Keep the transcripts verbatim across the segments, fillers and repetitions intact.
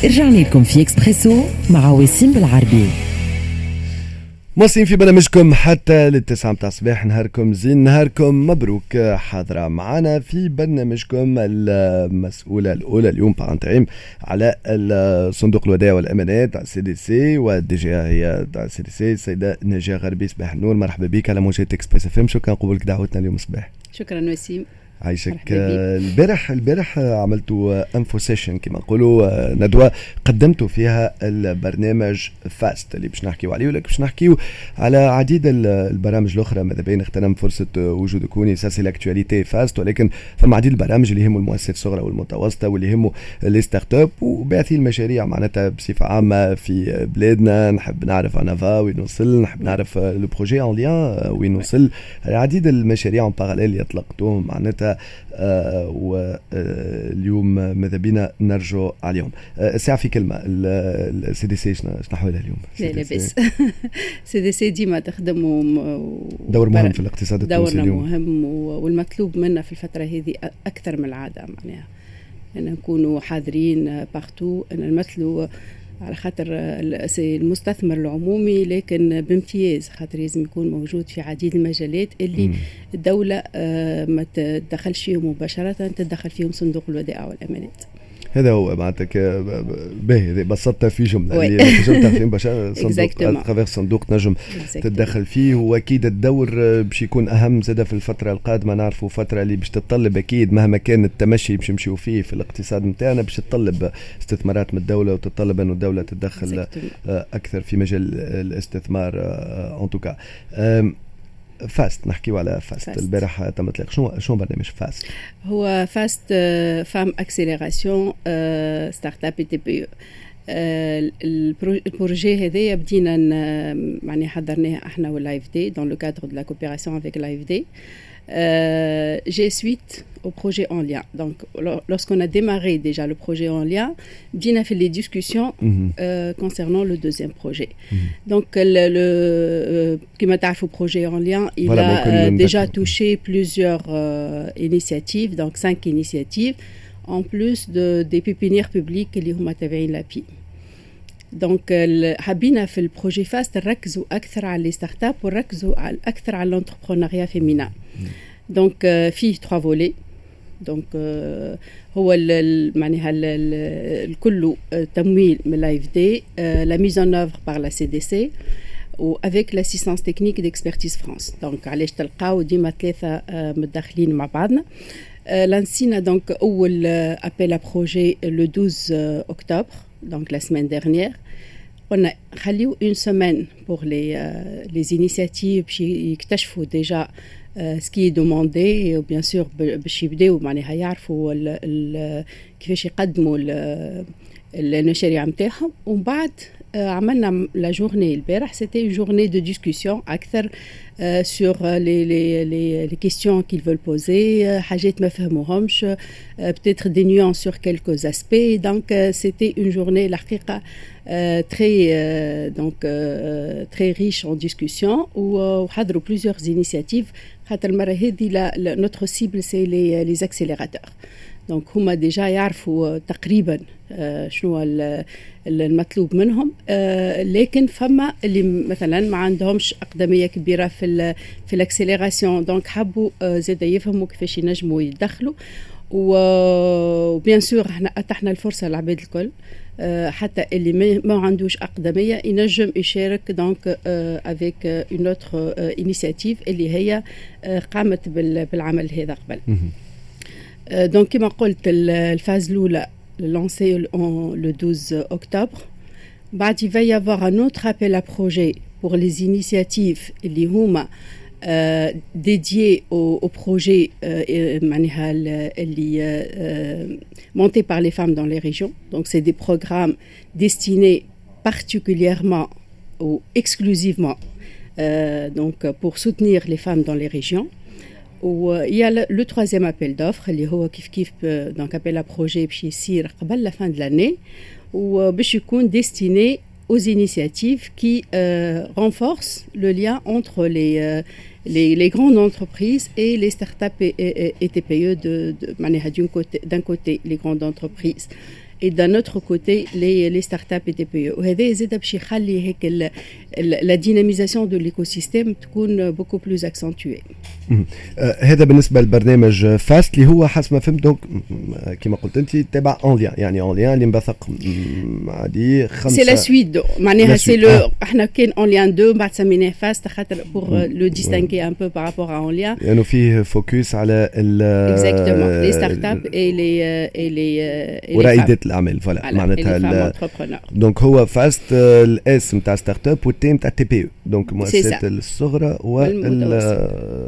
رجعنا لكم في اكسبريسو مع وسيم بالعربي. مواصلين في برنامجكم حتى للتسعة متاع الصباح. نهاركم زين، نهاركم مبروك. حاضرة معنا في برنامجكم المسؤولة الأولى اليوم par intérim على صندوق الودائع والأمانات CDC وال DG هي CDC، السيدة ناجية غربي. صباح النور، مرحبا بك على موجات Express FM. شكرا قبولك دعوتنا اليوم صباح. شكرا وسيم. عايشك. البارح البارح عملتوا info session كما نقولوا، ندوه قدمتوا فيها البرنامج فاست اللي باش نحكيو عليه، ولكن باش نحكيو على عديد البرامج الاخرى. ماذا بين اغتنم فرصة وجودك هوني، ça c'est l'actualité فاست، ولكن فما عديد البرامج اللي يهموا المؤسسات الصغرى والمتوسطة واللي يهموا les startups وباعثين المشاريع معناتها بصفة عامة في بلادنا. نحب نعرف Anava وين وصل، نحب نعرف le projet En Lien وين وصل، العديد المشاريع en parallèle اللي اطلقتوهم معناتها آه، واليوم ماذا بينا نرجو عليهم. آه، الساعة في كلمه، ال CDC شنو احوالها اليوم؟ لا لاباس، CDC ديما تخدم. و دور مهم في الاقتصاد التونسي. دورنا اليوم مهم، والمطلوب منا في الفترة هذه اكثر من العاده، معناها ان نكونوا حاضرين partout، ان نمثلوا على خاطر المستثمر العمومي، لكن بامتياز خاطر لازم يكون موجود في عديد المجالات اللي مم. الدولة آه، ما تدخلش فيهم مباشرة، تدخل فيهم صندوق الودائع والأمانات. هذا هو معناتها، باهي بسطتها في جمله، اللي تنجم فيه مباشرة صندوق à travers صندوق تنجم تتدخل فيه. واكيد الدور باش يكون اهم زاد في الفترة القادمه. نعرفوا فترة اللي باش تتطلب اكيد، مهما كان التمشي باش نمشيو فيه في الاقتصاد نتاعنا، باش تتطلب استثمارات من الدولة وتتطلب انه الدولة تتدخل اكثر في مجال الاستثمار. en tout cas فاست، نحكيو على فاست, فاست. البارح تم اطلاق، شنو شنو برنامج فاست؟ هو فاست femme accélération startup TPE. ال projet هذايا بدينا معني حضرناه احنا وال AFD dans le cadre de la coopération avec l'AFD. جي suite au projet En Lien. Donc, lorsqu'on a démarré déjà le projet En Lien, بدينا في les discussions mm -hmm. euh, concernant le deuxième projet. Mm -hmm. Donc, le, le euh, كما تعرفوا projet En Lien, il voilà, a euh, déjà touché plusieurs euh, initiatives, donc cinq initiatives, en plus de, des pépinières publiques اللي هما تابعين l'API. donc حبينا في ال projet فاست نركزوا اكثر على les startups ونركزوا اكثر على l'entrepreneuriat féminin. donc فيه trois volets. donc هو معناها الكل تمويل من l'AFD، la mise en œuvre par la CDC و avec l'assistance technique d'Expertise France. donc علاش تلقاو ديما ثلاثة متداخلين مع بعضنا. لانسينا donc اول appel à projets le douze octobre، donc la semaine dernière. قلنا خليو une semaine pour les les initiatives باش يكتشفوا déjà ce qui est demandé، bien sûr باش يبداو معناها يعرفوا كيفاش يقدموا المشاريع نتاعهم. ومن بعد عملنا la journée البارح، c'était une journée de discussion اكثر sur les les les les questions qu'ils veulent poser، حاجات ما فهموهمش، peut-être des nuances sur quelques aspects. donc c'était une journée الحقيقة très donc très riche en discussions، وحضروا plusieurs initiatives، خاطر المرة هذه notre cible c'est les les accélérateurs. donc هما déjà يعرفوا تقريبا شنو المطلوب منهم، لكن فما اللي مثلا ما عندهمش اقدميه كبيرة في ال في l'accélération، donc حبوا زاد يفهموا كيفاش ينجموا يدخلوا. و bien sûr احنا اتحنا الفرصة للعباد الكل، حتى اللي ما عندوش اقدميه ينجم يشارك، donc avec une autre initiative اللي هي قامت بالعمل هذا قبل. donc كما قلت، ال phase الاولى lancée le douze octobre. بعد il va y avoir un autre appel à projet pour les initiatives اللي هما euh, dédiées au, au projet euh, معناها اللي euh, montés par les femmes dans les régions. Donc c'est des programmes destinés particulièrement ou exclusivement euh, donc pour soutenir les femmes dans les régions. و il y a le, le troisième appel d'offres اللي هو كيف كيف، donc appel à projet باش يصير قبل la fin de l'année وباش يكون destiné aux initiatives qui euh, renforcent le lien entre les, euh, les, les grandes entreprises et les startups et, et, et T P E de, de, d'un côté, d'un côté les grandes entreprises et d'un autre côté les les startups et T P E. وهذا زاد باش يخلي هيك la dynamisation de l'écosystème تكون beaucoup plus accentuée. هذا بالنسبة للبرنامج FAST اللي هو حسب ما فهمت donc كما قلت انت تبع En Lien، يعني En Lien اللي انبثق عادي خمسه. c'est la suite، معناها c'est le احنا كان En Lien deux، بعد سميناه FAST خاطر pour le distinguer un peu par rapport à En Lien. لانه فيه focus على ال exactement، les startups et les et les ورائدات الاعمال، voilà، معناتها donc هو FAST، ال S نتاع startup وال T نتاع T P E، donc المؤسسات الصغرى وال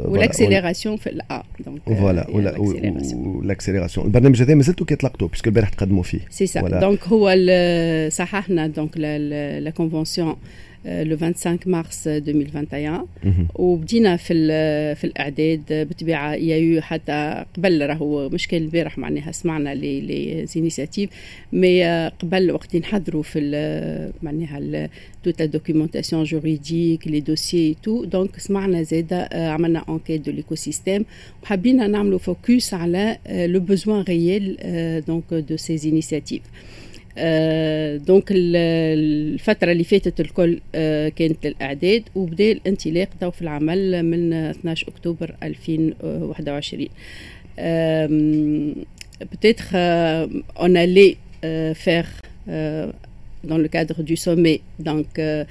وال accélération في ال A. donc voilà، وال accélération. البرنامج هذا مازلتوا كي طلقتوه puisque البارح تقدموا فيه. c'est ça، donc هو صححنا donc la convention le vingt-cinq mars deux mille vingt et un وبدينا في في الاعداد. بالطبيعة il y a eu حتى قبل، راهو مش كان البارح معناها سمعنا les les initiatives، mais قبل وقت نحضروا في معناها toute la documentation juridique، les dossiers، tout، donc سمعنا زاده، عملنا enquête de l'écosystème وحبينا نعملوا focus على le besoin réel donc de ces initiatives. donc الفترة اللي فاتت الكل كانت الإعداد، وبدا الانطلاق تو في العمل من اثناش أكتوبر ألفين وواحد وعشرين. peut-être on allait faire dans le cadre du sommet, donc euh,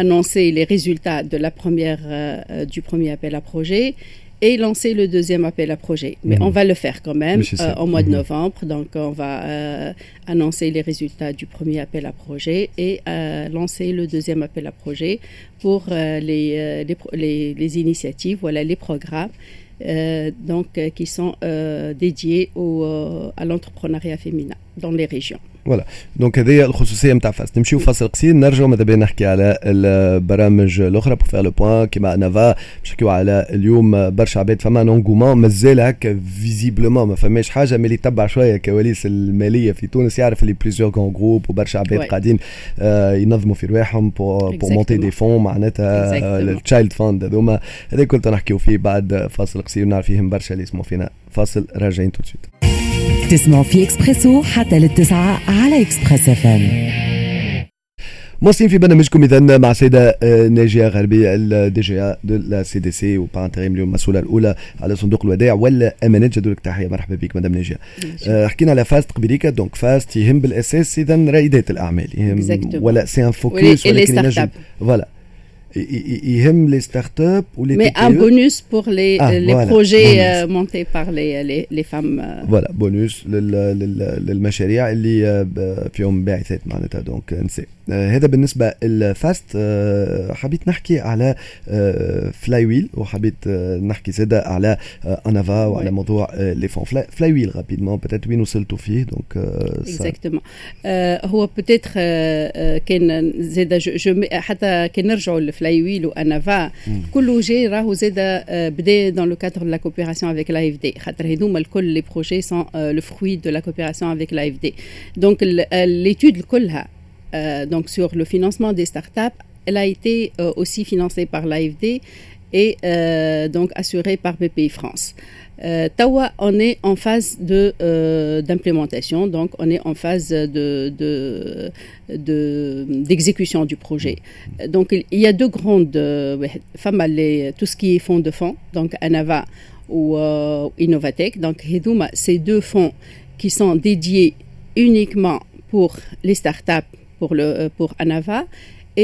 annoncer les résultats de la première, euh, du premier appel à projet et lancer le deuxième appel à projet. Mais mmh. on va le faire quand même euh, au mois de mmh. novembre. Donc on va euh, annoncer les résultats du premier appel à projet et euh, lancer le deuxième appel à projet pour les, les, les, les, initiatives, voilà, les programmes donc, qui sont dédiés au, à l'entrepreneuriat féminin dans les régions. voilà، donc هذه الخصوصية نتاع FAST. نمشيو فاصل قصير، نرجعوا ماذا بينا نحكي على البرامج الاخرى pour faire le point كيما Anava، باش نحكيو على اليوم برشا عباد فما un engouement، مازال هكا visiblement ما فماش حاجه، mais اللي يتبع شوية كواليس المالية في تونس يعرف اللي plusieurs grands groupes وبرشا عباد قاعدين آه ينظموا في رواحهم pour pour monter des fonds، معناتها ال child fund هذوما. هذا كنت نحكيو فيه بعد فاصل قصير، نعرف فيهم برشا اللي يسمعوا فينا. فاصل، راجعين tout de suite. تسمعوا في اكسبريسو حتى للتسعة على Express F M. مواصلين في برنامجكم اذا مع السيدة آه، ناجيه غربي، ال D G A de la C D C و par intérim اليوم المسؤولة الاولى على صندوق الودائع والامانات. جدولك تحيه، مرحبا بك مدام ناجيه. آه، حكينا على FAST قبيليكا، donc FAST يهم بالاساس اذا رائدات الاعمال، يهم ولا c'est un focus ولكن ينجم voilà يهم les startups ou les Mais un bonus pour les, ah, les voilà, projets bonus. montés par les, les, les femmes. Voilà، bonus للمشاريع اللي فيهم باعثات معناتها donc نساء. هذا بالنسبة لل FAST. حبيت نحكي على Flywheel وحبيت نحكي زادة على Anava وعلى موضوع les fonds. Flywheel rapidement peut-être، وين وصلتوا فيه donc؟ exactement، هو peut-être كان زاد je حتى كان نرجعوا لل Flywheel و Anava، كله جاي راهو زاد بدا dans le cadre de la coopération avec l'A F D، خاطر هذوما الكل les projets sont le fruit de la coopération avec l'A F D. donc l'étude كلها donc sur le financement des startups، elle a été euh, aussi financée par l'A F D et euh, donc assurée par B P I France. Euh, توا، on est en phase de euh, d'implémentation, donc on est en phase de, de, d'exécution du projet. Donc il y a deux grandes فما les, tout ce qui est fonds de fonds, donc Anava ou euh, Innovatech. Donc هذوما ces deux fonds qui sont dédiés uniquement pour les startups pour le pour Anava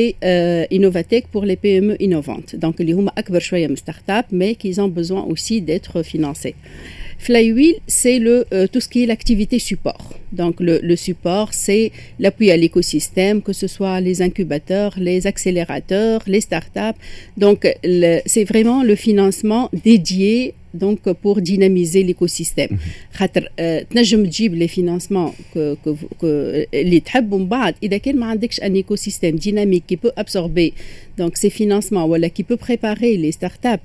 et euh, Innovatech pour les P M E innovantes. Donc, اللي هما أكبر شوية من start-up, mais qui ont besoin aussi d'être financés. Flywheel, c'est le, euh, tout ce qui est l'activité support. Donc, le, le support, c'est l'appui à l'écosystème, que ce soit les incubateurs, les accélérateurs, les startups. Donc, c'est vraiment le financement dédié donc pour dynamiser l'écosystème. خاطر تنجم تجيب les financements que, que, que اللي تحب، ومن بعد اذا كان ما عندكش un écosystème dynamique qui peut absorber donc ces financements ولا qui peut préparer les startups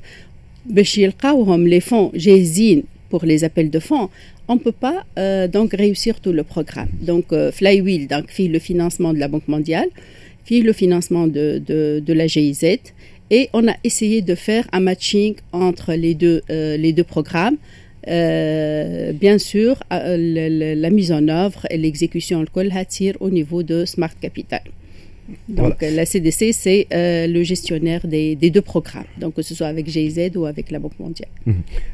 باش يلقاوهم les fonds جاهزين pour les appels de fonds، on ne peut pas euh, donc réussir tout le programme. Donc euh, Flywheel donc فيه le financement de la Banque mondiale، فيه le financement de, de, de la G I Z et on a essayé de faire un matching entre les deux, euh, les deux programmes. Euh, bien sûr, la mise en œuvre et l'exécution الكل تصير au niveau de Smart Capital. Donc voilà. La C D C, c'est euh, le gestionnaire des, des deux programmes, donc que ce soit avec G I Z ou avec la Banque mondiale.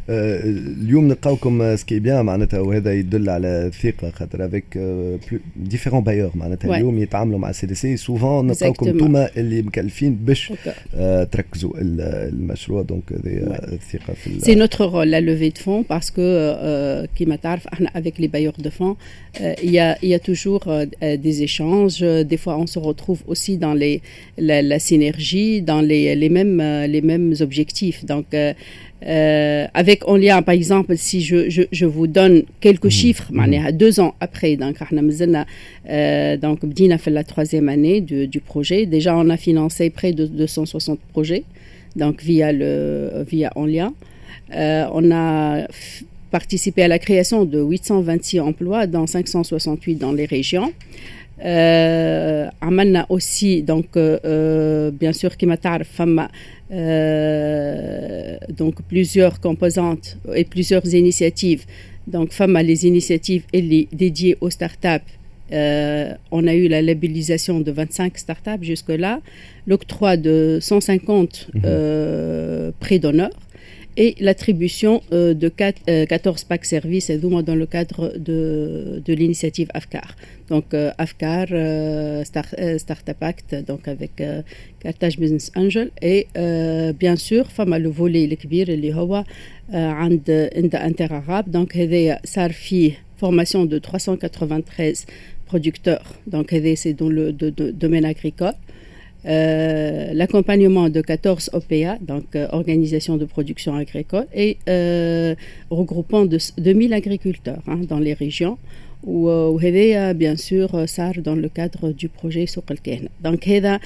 اليوم نلقاوكم, ce qui est bien معناتها, وهذا يدل على الثقه, خاطر avec différents bailleurs معناتها اليوم يتعاملوا مع C D C, souvent نلقاوكم انتوما اللي مكلفين باش تركزوا المشروع, donc هذه الثقه في C'est notre rôle, la levée de fonds, parce que كيما تعرف احنا avec les bailleurs de fonds, il y a il y a toujours des échanges, des fois on se retrouve aussi dans les, la, la synergie, dans les, les, mêmes, les mêmes objectifs. Donc, euh, euh, avec Onlia, par exemple, si je, je, je vous donne quelques mmh. chiffres, mmh. deux ans après, donc, euh, donc بدينا في la troisième année du, du projet. Déjà, on a financé près de deux cent soixante projets, donc via, le, via Onlia. Euh, on a participé à la création de huit cent vingt-six emplois, dont cinq cent soixante-huit dans les régions. Euh, عملنا aussi, donc euh, bien sûr, كما تعرف فما euh, donc plusieurs composantes et plusieurs initiatives. Donc فما les initiatives اللي dédiées aux startups. Euh, on a eu la labellisation de vingt-cinq startups jusque-là, l'octroi de cent cinquante mmh. euh, prêts d'honneur et l'attribution euh, de quatre, quatorze packs services dans le cadre de, de l'initiative AFCAR. Donc AFCAR, Start, Startup Act, donc avec Carthage Business Angel et bien sûr فما le volet الكبير اللي هو عند عند Interarabe. Donc هذايا صار فيه formation de trois cent quatre-vingt-treize producteurs. Donc c'est dans le de, de, domaine agricole. Euh, l'accompagnement de quatorze O P A, donc euh, organisation de production agricole, et euh, regroupant de deux mille agriculteurs, hein, dans les régions. وهذايا bien sûr صار dans le cadre du projet سوق الكاهنة. Donc هذا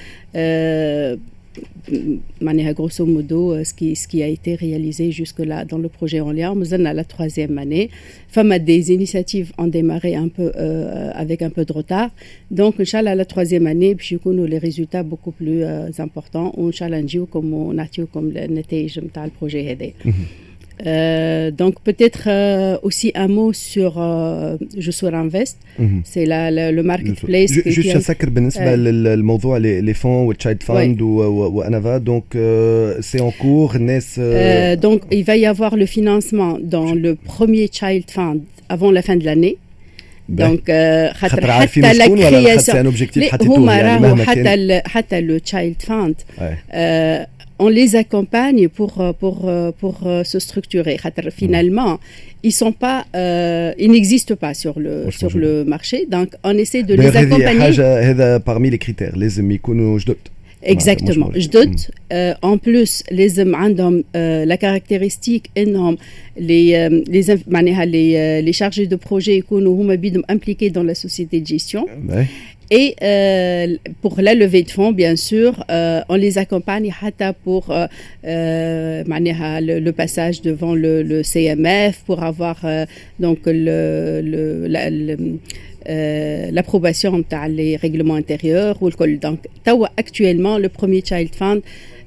معناها grosso modo ce qui, ce qui a été réalisé jusque-là dans le projet Onlia. مازلنا la troisième année. فما des initiatives ont démarré un peu euh, avec un peu de retard. Donc إن شاء الله la troisième année باش يكونوا les résultats beaucoup plus euh, importants, وإن شاء الله نجيوكم ونعطيوكم النتائج نتاع ال projet هذا. Euh, donc peut-être euh, aussi un mot sur euh, Jossour Invest, mm -hmm. c'est la, la, le marketplace. Juste نسكر بالنسبة للموضوع les fonds وال Child Fund و Anava, donc c'est en cours الناس. Donc il va y avoir le financement dans le premier Child Fund avant la fin de l'année. Donc خاطر حتى la création هما راهو حتى حتى le Child Fund, on les accompagne pour, pour, pour se structurer. Finalement, ils sont pas, euh, ils n'existent pas sur le, sur le marché. Donc, on essaie de les accompagner. حاجة هذا parmi les critères, لازم يكونوا جدد. Exactement, جدد. En plus لازم عندهم la caractéristique انهم les les معناها les les chargés de projet يكونوا هما بيدهم impliqués dans la société de gestion. Et euh, pour la levée de fonds, bien sûr, euh, on les accompagne حتى pour euh, معناها le, le passage devant le, le C M F, pour avoir euh, donc le, le, la, le l'approbation نتاع les règlements intérieurs والكل. Donc توا actuellement, le premier Child Fund,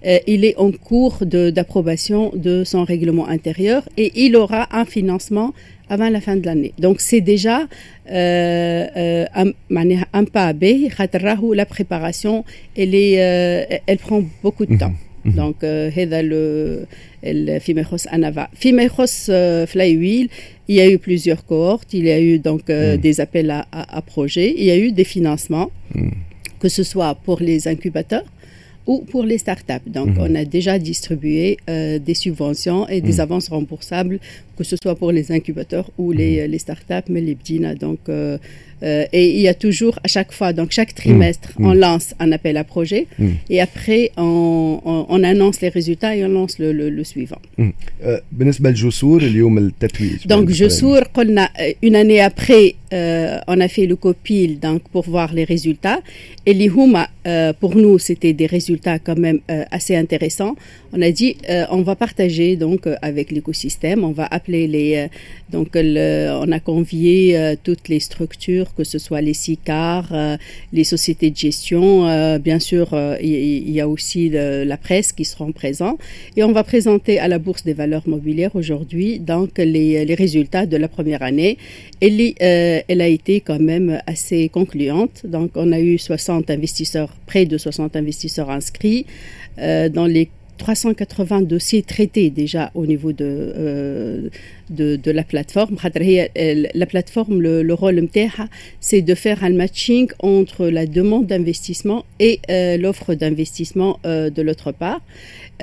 euh, il est en cours d'approbation de, de son règlement intérieur et il aura un financement avant la fin de l'année. Donc c'est déjà euh, euh, un, معناها un pas باهي خاطر راهو la préparation, elle est euh, elle prend beaucoup de temps. Donc هذا le فيما يخص Anava. فيما يخص Flywheel, il y a eu plusieurs cohortes, il y a eu donc mm. des appels à, à, à projets, il y a eu des financements, mm. que ce soit pour les incubateurs ou pour les startups. Donc, mmh. on a déjà distribué euh, des subventions et des mmh. avances remboursables, que ce soit pour les incubateurs ou les, mmh. les startups, mais les بدينا. Donc, euh, euh, et il y a toujours, à chaque fois, donc chaque trimestre, on lance un appel à projet et après, on, on, on annonce les résultats et on lance le, le, le suivant. بالنسبة لجسور اليوم التتويج. Donc, جسور, قلنا une année après, euh, on a fait le copil donc, pour voir les résultats. Et اللي هما, euh, pour nous, c'était des résultats quand même euh, assez intéressants. On a dit, euh, on va partager donc avec l'écosystème, on va appeler appelé les, euh, donc le, on a convié euh, toutes les structures, que ce soit les SICAR, euh, les sociétés de gestion, euh, bien sûr, il y, y, a aussi le, la presse qui seront présents. Et on va présenter à la Bourse des valeurs mobilières aujourd'hui donc les, les résultats de la première année. Elle, elle a été quand même assez concluante. Donc on a eu soixante investisseurs, près de soixante investisseurs inscrits dans les trois cent quatre-vingts dossiers traités déjà au niveau de, euh, de, de la plateforme. La plateforme, le, le rôle متاعها, c'est de faire un matching entre la demande d'investissement et euh, l'offre d'investissement euh, de l'autre part.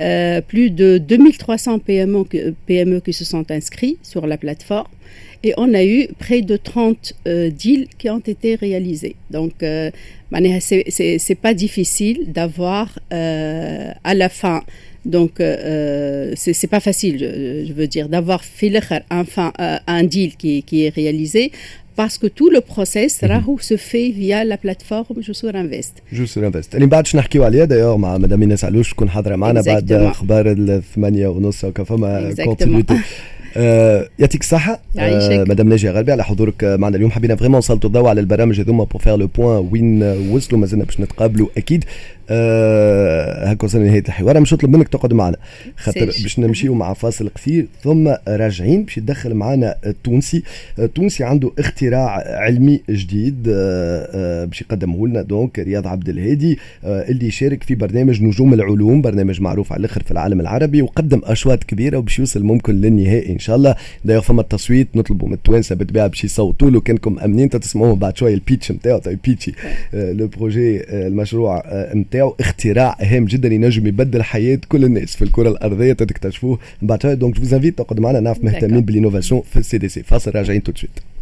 Euh, plus de deux mille trois cents P M E, P M E qui se sont inscrits sur la plateforme et on a eu près de trente euh, deals qui ont été réalisés. Donc, euh, معناها c'est pas difficile d'avoir euh, à la fin, donc euh, c'est pas facile, je, je veux dire, d'avoir في الآخر enfin un deal qui, qui est réalisé parce que tout le process راهو se fait via la plateforme Joussour Invest. Joussour Invest اللي بعد باش نحكيو عليها d'ailleurs مع مدام ايناس علوش تكون حاضره معنا بعد اخبار الثمانية ونص هكا فما continuité. آه يعطيك الصحة آه مدام ناجية غربي على حضورك معنا اليوم. حبينا vraiment نسلطوا الضوء على البرامج هذوما pour faire le point وين وصلوا. مازلنا باش نتقابلوا اكيد. آه هكا وصلنا لنهاية الحوار. مش نطلب منك تقعد معنا خاطر باش نمشيو مع فاصل قصير ثم راجعين باش يدخل معنا التونسي. التونسي عنده اختراع علمي جديد آه آه باش يقدمه لنا، donc رياض عبد الهادي آه اللي يشارك في برنامج نجوم العلوم، برنامج معروف على الاخر في العالم العربي وقدم اشواط كبيرة وباش يوصل ممكن للنهائي ان شاء الله. d'ailleurs فما التصويت، نطلبوا من التوانسة بالطبيعة باش يصوتوا له. كانكم امنين تسمعوه بعد شوية ال pitch نتاعو، طيب pitcher le projet، المشروع نتاعو، اختراع هام جدا ينجم يبدل حياة كل الناس في الكره الارضيه، تكتشفوه بعد شويه. donc je vous invite تقعدوا معنا، نعرف مهتمين بال innovation في ال CDC. فاصل، راجعين tout de suite.